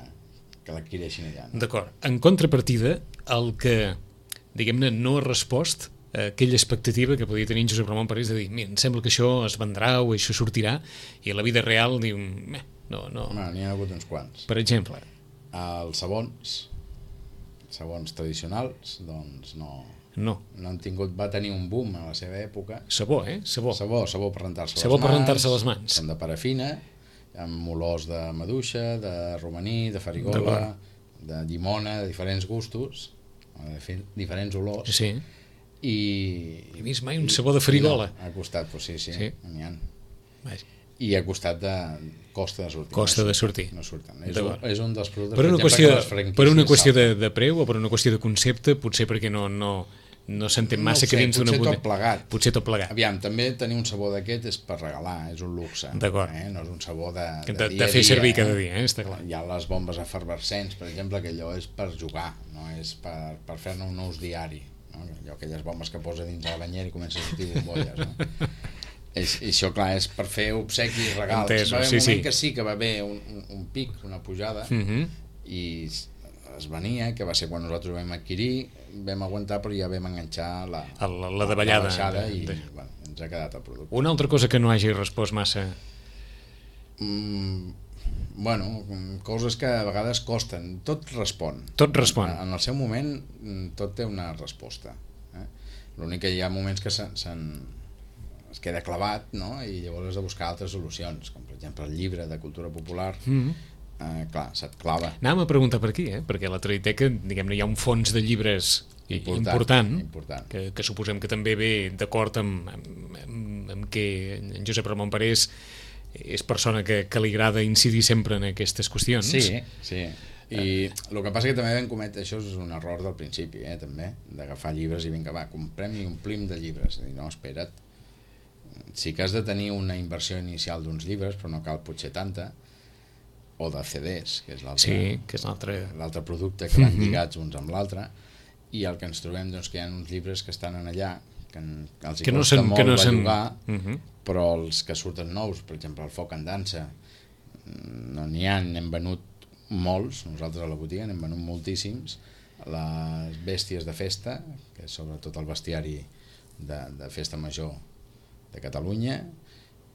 que l'adquireixin allà. No? D'acord. En contrapartida, el que, diguem-ne, no ha respost aquella expectativa que podia tenir en Josep Ramon Parés de dir, mira, em sembla que això es vendrà o això sortirà, i a la vida real diu, eh, no, no. No, n'hi ha hagut uns quants. Per exemple? Els sabons, sabons tradicionals, doncs no, no. no han tingut, va tenir un boom a la seva època. Sabó, eh? Sabó. Sabó, sabó per rentar-se sabó les mans. per rentar-se les mans. Són de parafina, amb olors de maduixa, de romaní, de farigola, de llimona, de diferents gustos, de diferents olors. Sí. I... He vist mai un sabó de farigola. No, ha costat, pues sí, sí, sí. n'hi ha. Vaja. I ha costat de costa de sortir. Costa de sortir. No surten. És un, és un dels productes per una per qüestió, exemple, que les per una qüestió de, de preu o per una qüestió de concepte, potser perquè no, no, no s'entén No ho massa sé, que dins d'una potser botiga... tot plegat. Potser tot plegat. Aviam, també tenir un sabó d'aquest és per regalar, és un luxe. D'acord. Eh? No és un sabó de, de, De, dia de fer a dia, servir eh? cada dia, eh? Està clar. Hi ha les bombes efervescents, per exemple, que allò és per jugar, no és per, per fer-ne un ús diari. No? Allò, aquelles bombes que posa dins de la banyera i comença a sortir bombolles. No? És, I això, clar, és per fer obsequis, regals. Entesos, va haver un sí, moment sí. que sí que va haver un, un, un pic, una pujada, Mhm. i es venia, que va ser quan nosaltres ho vam adquirir, vam aguantar, però ja vam enganxar la, La, la davallada. la baixada de, i de... bueno, ens ha quedat el producte. Una altra cosa que no hagi respost massa... Mm, bueno, coses que a vegades costen, tot respon. Tot respon. En, en el seu moment tot té una resposta. Eh? L'únic que hi ha moments que se, se es queda clavat, no? I llavors has de buscar altres solucions, com per exemple el llibre de cultura popular. Mhm. Eh, clar, se't clava. Anàvem a preguntar per aquí, eh? Perquè a la Traditeca, diguem-ne, hi ha un fons de llibres important, important, important. Que, que suposem que també ve d'acord amb, amb, amb, amb que en Josep Ramon Parés és persona que, que li agrada incidir sempre en aquestes qüestions. Sí, sí. I el que passa que també vam cometre, això és un error del principi, eh, també, d'agafar llibres i vinga, va, comprem i omplim de llibres. I no, espera't, sí que has de tenir una inversió inicial d'uns llibres, però no cal potser tanta, o de C Ds, que és l'altre Sí, que és l'altre... l'altre producte que van lligats uns amb l'altre, i el que ens trobem doncs, que hi ha uns llibres que estan en allà que, en, que els hi Que no costa se'n- molt que no de se'n- llogar, Mhm. però els que surten nous, per exemple el Foc en dansa, no n'hi ha, n'hem venut molts, nosaltres a la botiga n'hem venut moltíssims, les bèsties de festa, que és sobretot el bestiari de, de festa major de Catalunya,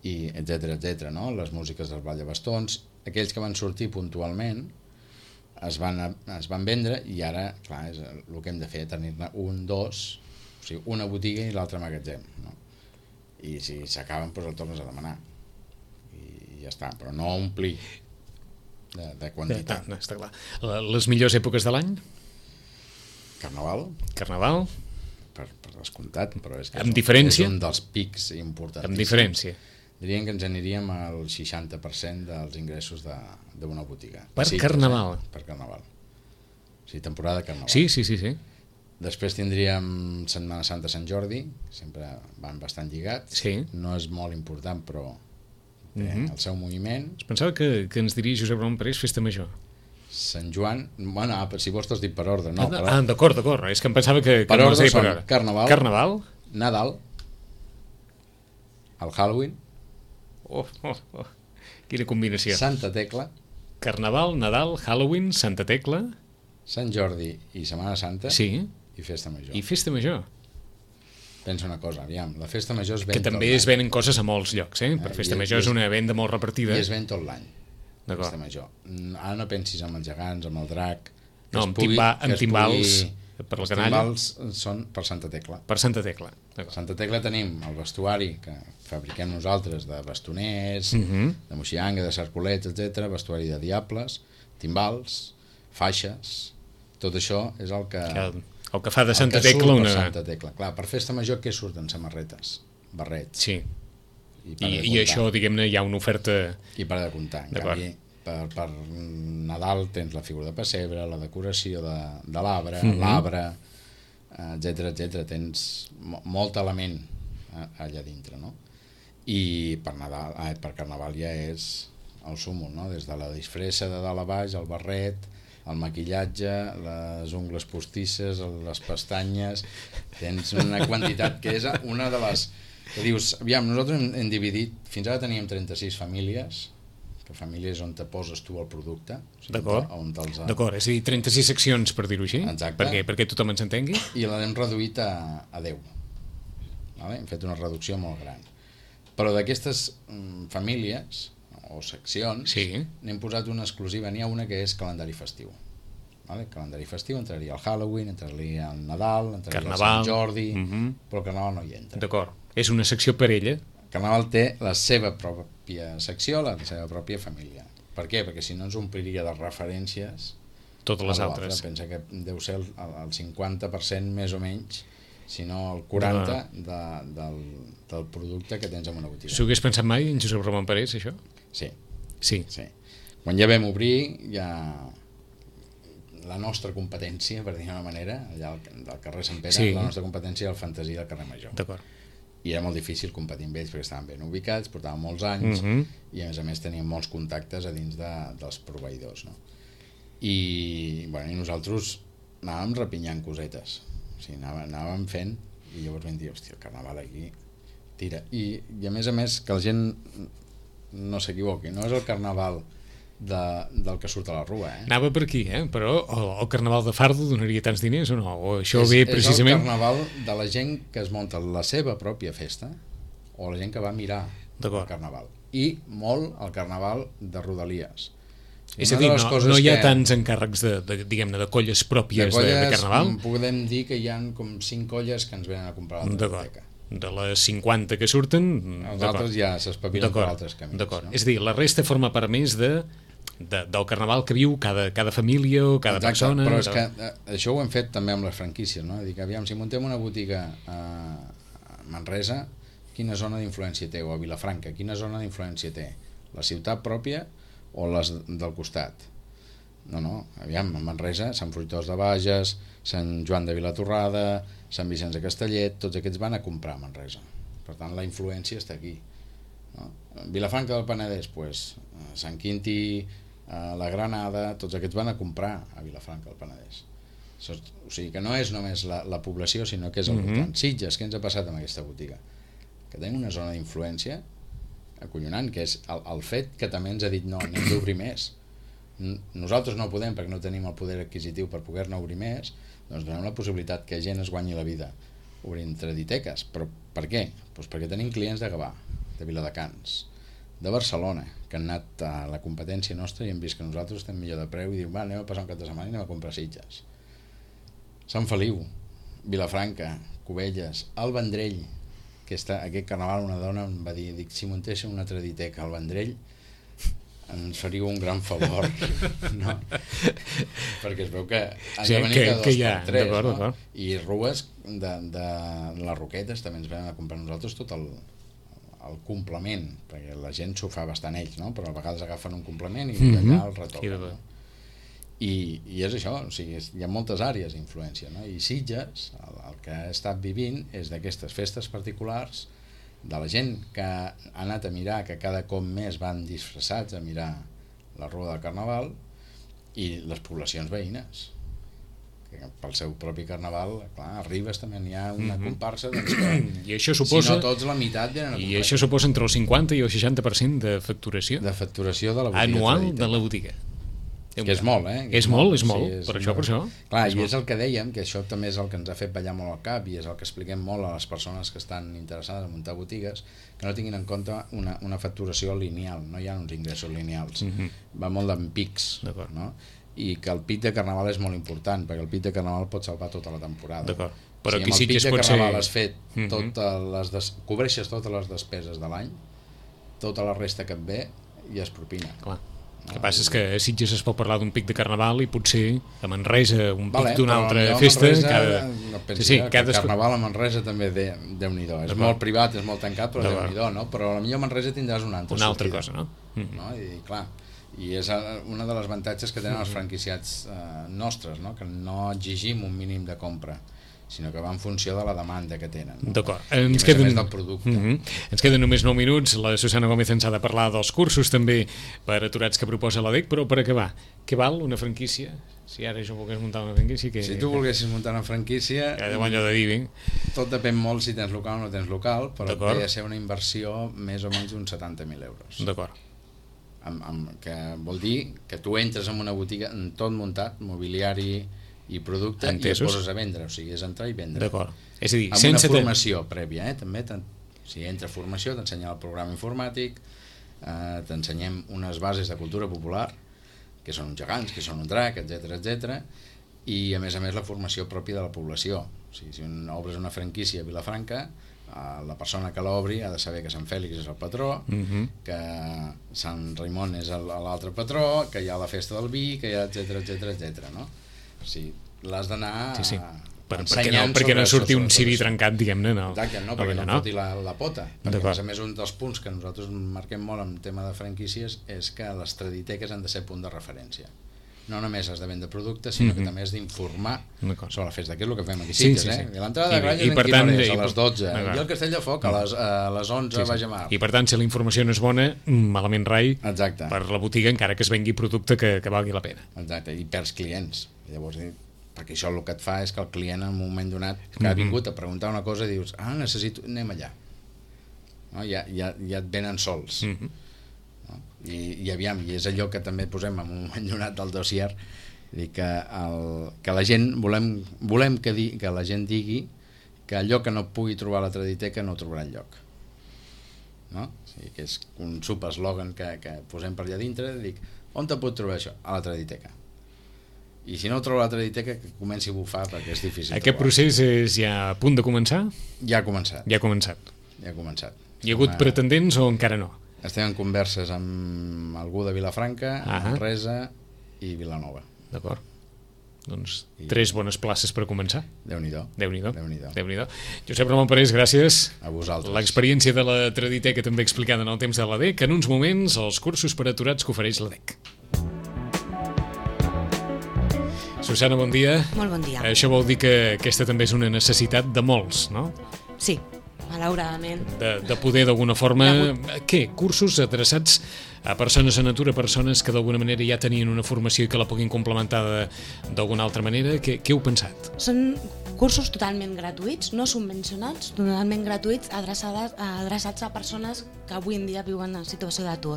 i etcètera etcètera, no? Les músiques dels ballavastons, aquells que van sortir puntualment es van, es van vendre, i ara, clar, és el que hem de fer, tenir-ne un, dos, o sigui, una botiga i l'altre magatzem, no? I si s'acaben, doncs el tornes a demanar i ja està, però no omplir de, de quantitat. No, està clar. Les millors èpoques de l'any? Carnaval, Carnaval? per, per descomptat, però és que Amb és un, diferència? és un dels pics importants. Amb diferència. Diríem que ens aniríem al seixanta per cent dels ingressos d'una botiga. Per Sí, Carnaval? Per Carnaval. O sigui, temporada de Carnaval. Sí, sí, sí, sí. Després tindríem Setmana Santa, Sant Jordi, sempre van bastant lligats. Sí. No és molt important, però té Mhm. el seu moviment. Es pensava que, que ens diria Josep Ramon Parés Festa Major. Sant Joan, bueno, ah, si vols t'has dit per ordre, no, ah, per, ah, d'acord, d'acord. És que em pensava que, que per no ordre es deia són per hora. Carnaval, Carnaval? Nadal, el Halloween, Oh, oh, oh. Quina combinació. Santa Tecla, Carnaval, Nadal, Halloween, Santa Tecla... Sant Jordi i Setmana Santa, Sí, i Festa Major. i Festa Major. Pensa una cosa, aviam, la Festa Major es ven Que també tot es l'any. venen coses a molts llocs, eh? Per Eh, Festa i- Major i és és- una venda molt repartida. I es ven tot l'any. D'acord. Festa Major. Mm, Ara no pensis amb els gegants, amb el drac... que No, es amb, pugui- timba, que amb es timbals pugui- per la Els canalla. timbals són per Santa Tecla. Per Santa Tecla. A Santa Tecla tenim el vestuari que fabriquem nosaltres de bastoners, Mhm. de moxianga, de cercolets, etcètera, vestuari de diables, timbals, faixes, tot això és el que... Que, el que fa de el Santa que surt Tecla per una... Santa Tecla. Clar, per Festa Major què surten? Samarretes, barrets. Sí, I, per i, de i comptar. això, diguem-ne, hi ha una oferta... I per de comptar. En D'acord. canvi, per, per Nadal tens la figura de pessebre, la decoració de, de l'arbre, Mhm. l'arbre, etcètera, etcètera. Tens mo- molt element a- allà dintre, no? I per, Nadal, ai, per Carnaval ja és el súmul, no? Des de la disfressa de dalt a baix, el barret, el maquillatge, les ungles postisses, les pestanyes, tens una quantitat que és una de les... que dius, aviam, nosaltres hem, hem dividit, fins ara teníem trenta-sis famílies, que famílies on te poses tu el producte, o sigui, D'acord. on te'ls ha- D'acord, és a dir, trenta-sis seccions, per dir-ho així. Exacte. Perquè, perquè tothom ens entengui. i l'hem reduït a, a deu. Vale? Hem fet una reducció molt gran. Però d'aquestes mm, famílies o seccions Sí. n'hem posat una exclusiva, n'hi ha una que és calendari festiu. Vale? Calendari festiu entraria el Halloween, entraria el Nadal, entraria Carnaval. el Sant Jordi, Mhm. però el Carnaval no hi entra. D'acord. És una secció per ella. El Carnaval té la seva pròpia secció, la seva pròpia família. Per què? Perquè si no ens ompliria de referències Totes les a l'altre. altres. Pensa que deu ser el, el cinquanta per cent més o menys, si no el quaranta per cent de, del, del producte que tens en una botiga. S'ho hagués pensat mai en Josep Ramon Parés, això? Sí, Sí. sí. Quan ja vam obrir, ja la nostra competència, per dir d'una manera, allà al, al carrer Sant Pere, sí. la nostra competència era el Fantasia del carrer Major. D'acord. I era molt difícil competir amb ells perquè estaven ben ubicats, portaven molts anys, uh-huh. i a més a més tenien molts contactes a dins de, dels proveïdors, no? I, bueno, i nosaltres anàvem repinyant cosetes, o sigui, anàvem, anàvem fent, i llavors vam dir, hòstia, el carnaval aquí tira. I, i a més a més que la gent no s'equivoqui, no és el carnaval de, del que surt a la rua, eh? Anava per aquí, eh? Però el, el carnaval de Fardo donaria tants diners o no? O això és, ve precisament... És el carnaval de la gent que es munta la seva pròpia festa o la gent que va a mirar el carnaval. I molt el carnaval de Rodalies. És a dir, no, no hi ha que... tants encàrrecs de, de, diguem-ne, de colles pròpies de, colles, de, de carnaval? Podem dir que hi ha com cinc colles que ens venen a comprar la biblioteca. De les cinquanta que surten... Els altres ja s'espavilen per altres camins. D'acord. No? És a dir, la resta forma part més de, de, del carnaval que viu cada, cada família o cada Exacte, persona... Però és que eh, això ho hem fet també amb les franquícies, no? Dic, aviam, si muntem una botiga a Manresa, quina zona d'influència té? O a Vilafranca, quina zona d'influència té? La ciutat pròpia o les del costat? No, no, aviam, a Manresa, Sant Fruitós de Bages, Sant Joan de Vilatorrada, Sant Vicenç de Castellet, tots aquests van a comprar a Manresa. Per tant, la influència està aquí. No? Vilafranca del Penedès, pues, Sant Quintí, la Granada, tots aquests van a comprar a Vilafranca del Penedès. O sigui que no és només la, la població, sinó que és el voltant. Mm-hmm. Sitges, què ens ha passat amb aquesta botiga? Que tenim una zona d'influència acollonant, que és el, el fet que també ens ha dit no, n'hem d'obrir més. Nosaltres no podem perquè no tenim el poder adquisitiu per poder-ne obrir més, doncs donem la possibilitat que gent es guanyi la vida obrint traditeques. Però per què? Doncs perquè tenim clients de Gavà, de Viladecans, de Barcelona, que han anat a la competència nostra i han vist que nosaltres estem millor de preu i diuen, va, anem a passar un cap de setmana i anem a comprar Sitges. Sant Feliu, Vilafranca, Cubelles, el Vendrell, que està, aquest carnaval una dona em va dir, dic, si muntéssim una traditeca al Vendrell ens faríeu un gran favor, no? Perquè es veu que han sí, de venir que, cada dos que ja, per tres, d'acord, no? d'acord. I rues de, de les Roquetes també ens venen a comprar nosaltres tot el, el complement, perquè la gent s'ho fa bastant ells, no? Però a vegades agafen un complement i mm-hmm. allà el retoquen, no? I, i és això, o sigui, hi ha moltes àrees d'influència, no? I Sitges, el, el que ha estat vivint és d'aquestes festes particulars de la gent que ha anat a mirar, que cada cop més van disfressats a mirar la rua del carnaval, i les poblacions veïnes que pel seu propi carnaval, clar, a Ribes també n'hi ha una mm-hmm. comparsa, doncs que, I això suposa, si no tots la meitat venen a i això suposa entre el cinquanta i el seixanta per cent de facturació de facturació de la botiga anual tradita. de la botiga. Que és molt, eh? Que és, és molt, molt, és molt, sí, és per això, per això. Clar, és i molt. És el que dèiem, que això també és el que ens ha fet ballar molt al cap i és el que expliquem molt a les persones que estan interessades en muntar botigues, que no tinguin en compte una, una facturació lineal, no hi ha uns ingressos lineals, mm-hmm. va molt en pics, no? I que el pic de carnaval és molt important, perquè el pic de carnaval pot salvar tota la temporada. D'acord. Però si aquí amb sí el pic que de pot carnaval ser... has fet mm-hmm. totes les des... cobreixes totes les despeses de l'any, tota la resta que et ve ja és propina. Clar. El que passa és que a Sitges es pot parlar d'un pic de carnaval i potser a Manresa un pic vale, d'una altra festa. Manresa, cada... no sí, sí, cada... el carnaval a Manresa també de, Déu-n'hi-do. És molt privat, és molt tancat, però Déu-n'hi-do, no? Però a la millor Manresa tindràs una altra una altra sortida, cosa, no? Mm. no? I clar, i és una de les avantatges que tenen els franquiciats eh, nostres, no? Que no exigim un mínim de compra, sinó que va en funció de la demanda que tenen, no? D'acord. Ens queden... més del producte. Mm-hmm. Ens queden només nou minuts. La Susana Gómez ens ha de parlar dels cursos també per aturats que proposa la D E C, però per acabar, què val una franquícia? Si ara jo volgués muntar una franquícia... Que... Si tu volguessis muntar una franquícia... Que de allò de dir, ben. Tot depèn molt si tens local o no tens local, però té de ser una inversió més o menys d'uns setanta mil euros. D'acord. Amb, amb, que vol dir que tu entres en una botiga en tot muntat, mobiliari i producte, entesos, i et poses a vendre, o sigui, és entrar i vendre. D'acord. És a dir, amb sense una formació ten... prèvia, eh? També, si entra formació, t'ensenyem el programa informàtic, eh, t'ensenyem unes bases de cultura popular, que són uns gegants, que són un drac, etcètera, etcètera, i a més a més la formació pròpia de la població. O sigui, si un, obres una franquícia a Vilafranca, eh, la persona que l'obri ha de saber que Sant Fèlix és el patró, uh-huh. que Sant Raimon és l'altre patró, que hi ha la festa del vi, que hi ha etcètera, etcètera, etcètera, no? O sigui, l'has d'anar sí, sí. per, perquè no, perquè no surti un ciri trencat, diguem-ne, no. Exacte, no, perquè no, no foti la, la pota. Perquè a més a més un dels punts que nosaltres marquem molt en tema de franquícies és que les traditeques han de ser punt de referència. no només has de vendre productes, sinó mm-hmm. que també has d'informar sobre la festa, que és el que fem aquí. Sí, sí, sí, eh? sí. I l'entrada de Granyes en quina hora és? A les dotze. I el Castell de Foc a les, a les onze sí, sí. Baix a Mar. I per tant, si la informació no és bona, malament rai. Exacte. Per la botiga, encara que es vengui producte que, que valgui la pena. Exacte, i perds clients. Llavors, perquè això el que et fa és que el client en un moment donat que ha vingut a preguntar una cosa dius, ah, necessito, anem allà. No? Ja, ja, ja et venen sols. Mm-hmm. No? I, i aviam, i és allò que també posem en un moment donat del dossier, dir que, el, que la gent volem, volem que, di, que la gent digui que allò que no pugui trobar a la Traditeca no ho trobarà enlloc, no? O sigui, que és un subeslògan que, que posem per allà dintre, dic, on te pot trobar això? A la Traditeca. I si no ho trobo a la Traditeca, que comenci a bufar perquè és difícil. Aquest trobar. Procés és ja a punt de començar? Ja ha començat. Ja ha començat. Ja ha començat. Hi ha hagut pretendents o encara no? Estem en converses amb algú de Vilafranca, Manresa i Vilanova. D'acord. Doncs I... tres bones places per començar. Déu-n'hi-do. Déu-n'hi-do. Déu-n'hi-do. Déu-n'hi-do. Josep Ramon Parés, gràcies. A vosaltres. L'experiència de la Traditeca també explicada en el temps de l'A D E C, en uns moments els cursos per aturats que ofereix l'A D E C. Susana, bon dia. Molt bon dia. Això vol dir que aquesta també és una necessitat de molts, no? Sí, malauradament. De, de poder d'alguna forma... Què? Cursos adreçats a persones en atur, a persones que d'alguna manera ja tenien una formació i que la puguin complementar d'alguna altra manera. Què, què heu pensat? Són cursos totalment gratuïts, no subvencionats, totalment gratuïts, adreçats, adreçats a persones que avui en dia viuen en situació d'atur.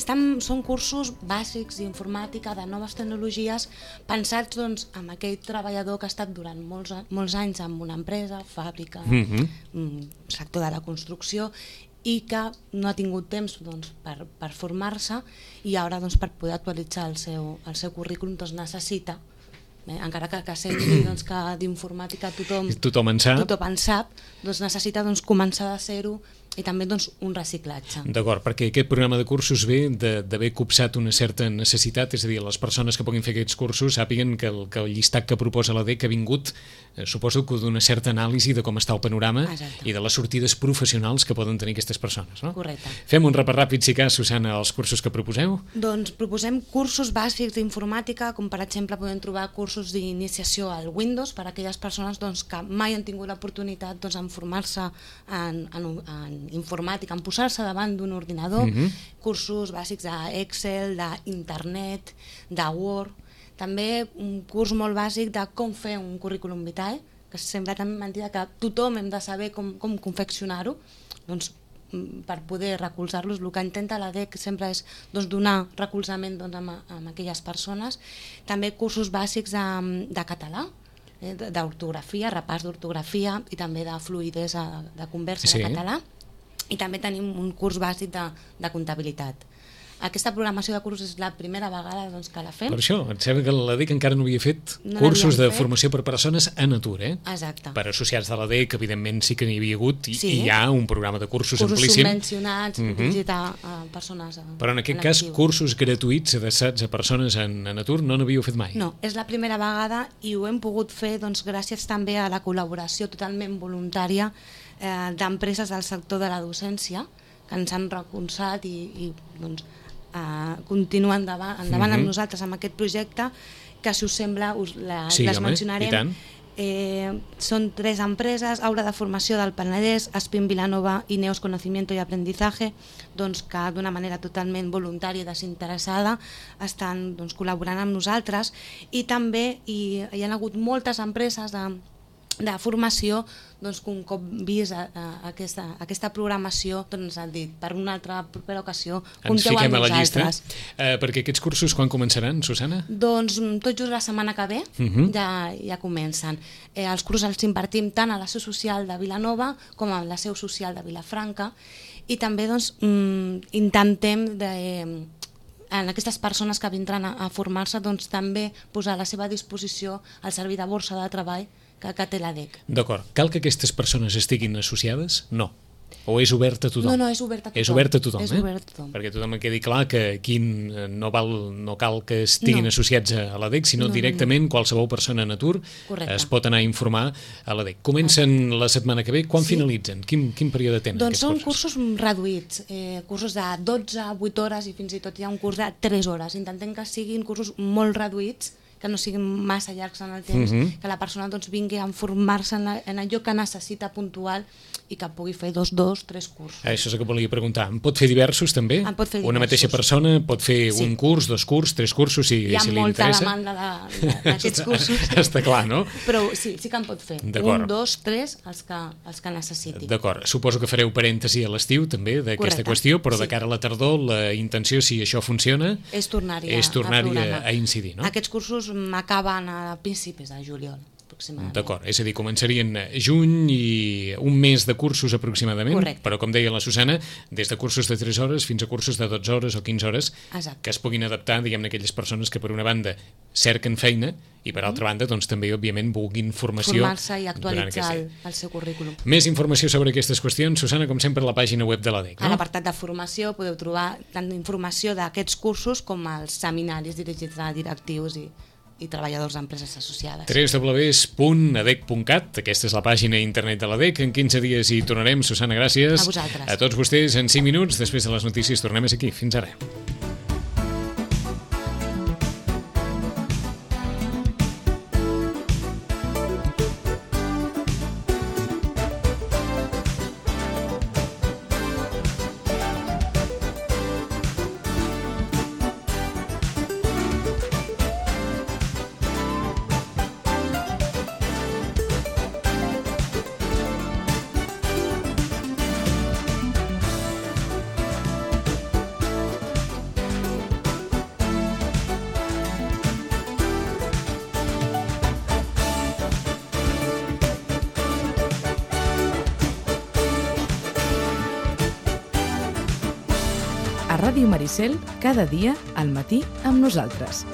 Són cursos bàsics d'informàtica, de noves tecnologies, pensats doncs, amb aquell treballador que ha estat durant molts, molts anys en una empresa, fàbrica, mm-hmm. sector de la construcció, i que no ha tingut temps doncs, per, per formar-se i ara doncs, per poder actualitzar el seu, el seu currículum doncs, necessita, eh, encara que, que senti doncs, que d'informàtica tothom, tothom en sap, tothom en sap doncs, necessita doncs, començar de zero i també doncs, un reciclatge. D'acord, perquè aquest programa de cursos ve d'haver copsat una certa necessitat, és a dir, les persones que puguin fer aquests cursos sàpiguen que el, que el llistat que proposa l'A D E C ha vingut, eh, suposo que d'una certa anàlisi de com està el panorama. Exacte. I de les sortides professionals que poden tenir aquestes persones, no? Correcte. Fem un repàs ràpid, si cas, Susana, els cursos que proposeu. Doncs proposem cursos bàsics d'informàtica, com per exemple podem trobar cursos d'iniciació al Windows per a aquelles persones doncs, que mai han tingut l'oportunitat doncs, en formar-se en, en, en informàtica, en posar-se davant d'un ordinador, mm-hmm. cursos bàsics d'Excel, d'internet, de Word, també un curs molt bàsic de com fer un currículum vitae, que sembla tan mentida que tothom hem de saber com, com confeccionar-ho, doncs per poder recolzar-los. El que intenta l'A D E C sempre és doncs, donar recolzament doncs, amb, amb aquelles persones. També cursos bàsics de, de català, eh, d'ortografia, repàs d'ortografia i també de fluïdesa de conversa sí. de català. I també tenim un curs bàsic de, de comptabilitat. Aquesta programació de cursos és la primera vegada doncs, que la fem. Per això, em sembla que l'A D E C encara no havia fet no cursos de fet. formació per persones en atur, eh? Exacte. Per associats de l'A D E C, evidentment sí que n'hi havia hagut i, sí. i hi ha un programa de cursos, cursos amplíssim. Cursos subvencionats, mm-hmm. visitar a persones a, Però en aquest en cas, actiu. Cursos gratuïts adreçats a persones en, en atur no n'havíeu fet mai? No, és la primera vegada i ho hem pogut fer doncs, gràcies també a la col·laboració totalment voluntària eh, d'empreses del sector de la docència que ens han recolzat i, i doncs, eh, continuen endavant, endavant mm-hmm. amb nosaltres amb aquest projecte, que si us sembla us la, sí, les home, mencionarem. Eh, són tres empreses, Aula de Formació del Penedès, Aspin Vilanova i Neos Conocimiento y Aprendizaje, doncs, que d'una manera totalment voluntària i desinteressada estan doncs, col·laborant amb nosaltres, i també hi, hi ha hagut moltes empreses de de formació doncs, que un cop vist a, a, a aquesta, a aquesta programació doncs, han dit, per una altra propera ocasió compteu amb nosaltres. Eh, perquè aquests cursos quan començaran, Susana? Doncs tot just la setmana que ve uh-huh. ja, ja comencen. Eh, els cursos els impartim tant a la seu social de Vilanova com a la seu social de Vilafranca i també doncs, mm, intentem de, eh, en aquestes persones que vindran a, a formar-se doncs, també posar a la seva disposició el servei de borsa de treball que, que té l'A D E C. D'acord. Cal que aquestes persones estiguin associades? No. O és obert a tothom? No, no, és obert a tothom. És obert a tothom, és eh? obert a tothom. Perquè tothom quedi clar que aquí no, val, no cal que estiguin No. associats a l'A D E C, sinó No, no, directament qualsevol persona en atur Correcte. es pot anar a informar a l'A D E C. Comencen la setmana que ve, quan Sí. finalitzen? Quin, quin període tenen Doncs aquests són cursos? cursos reduïts, eh, cursos de dotze, vuit hores i fins i tot hi ha un curs de tres hores. Intentem que siguin cursos molt reduïts, que no siguin massa llargs en el temps, Mhm. que la persona doncs, vingui a formar-se en, en allò que necessita puntual i que pugui fer dos, dos, tres cursos. Això és el que volia preguntar. En pot fer diversos també? En pot fer Una diversos. mateixa persona pot fer Sí. un curs, dos curs, tres cursos, si, Hi ha si li molta interessa. demanda de- de- d'aquests cursos. Està clar, no? Però sí, sí que en pot fer. D'acord. Un, dos, tres, els que, els que necessiti. D'acord. Suposo que fareu parèntesi a l'estiu també d'aquesta Correcte. qüestió, però de Sí. cara a la tardor la intenció, si això funciona, És tornar-hi a, és tornar-hi a, programar. a incidir, no? Aquests cursos m'acaben a principis de juliol, aproximadament. D'acord, és a dir, començarien juny i un mes de cursos aproximadament, Correcte. però com deia la Susana, des de cursos de tres hores fins a cursos de dotze hores o quinze hores, Exacte. que es puguin adaptar, diguem-ne, a aquelles persones que per una banda cerquen feina i per altra banda doncs també òbviament vulguin formació Formar-se i durant actualitzar aquest el, any. el seu currículum. Més informació sobre aquestes qüestions, Susana, com sempre a la pàgina web de l'A D E C, A no? l'apartat de formació podeu trobar tant informació d'aquests cursos com els seminaris dirigits a directius i, i treballadors d'empreses associades. w w w punt a d e c punt cat, aquesta és la pàgina internet de l'A D E C. En quinze dies hi tornarem. Susana, gràcies. A vosaltres. A tots vostès, en cinc minuts, després de les notícies, tornem a ser aquí. Fins ara. A Ràdio Maricel, cada dia al matí amb nosaltres.